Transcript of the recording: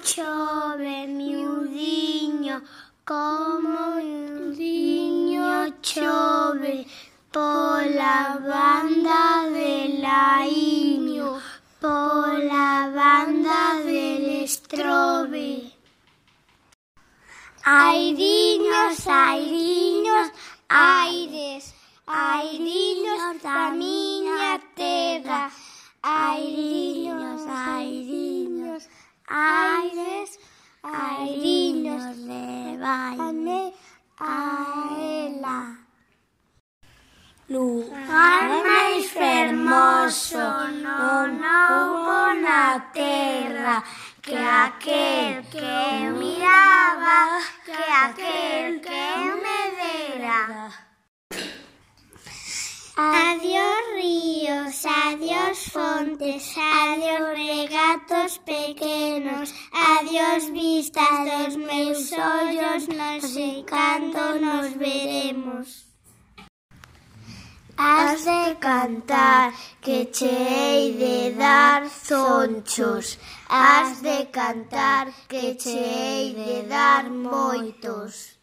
chove, miudiño, como miudiño chove, pola banda de Laíño, pola banda del Estrobe. Airiños, airiños, aires, airiños da miña terra, airiños, airiños, aires, airiños, levaime a ela. Lugar máis fermoso non houbo na terra, que aquel que miraba, que aquel que me dera. Adiós ríos, adiós fontes, adiós regatos pequenos, adiós vistas dos meus ollos, non sei cando nos veremos. Has de cantar, que che hei de dar zonchos. Has de cantar, que che hei de dar moitos.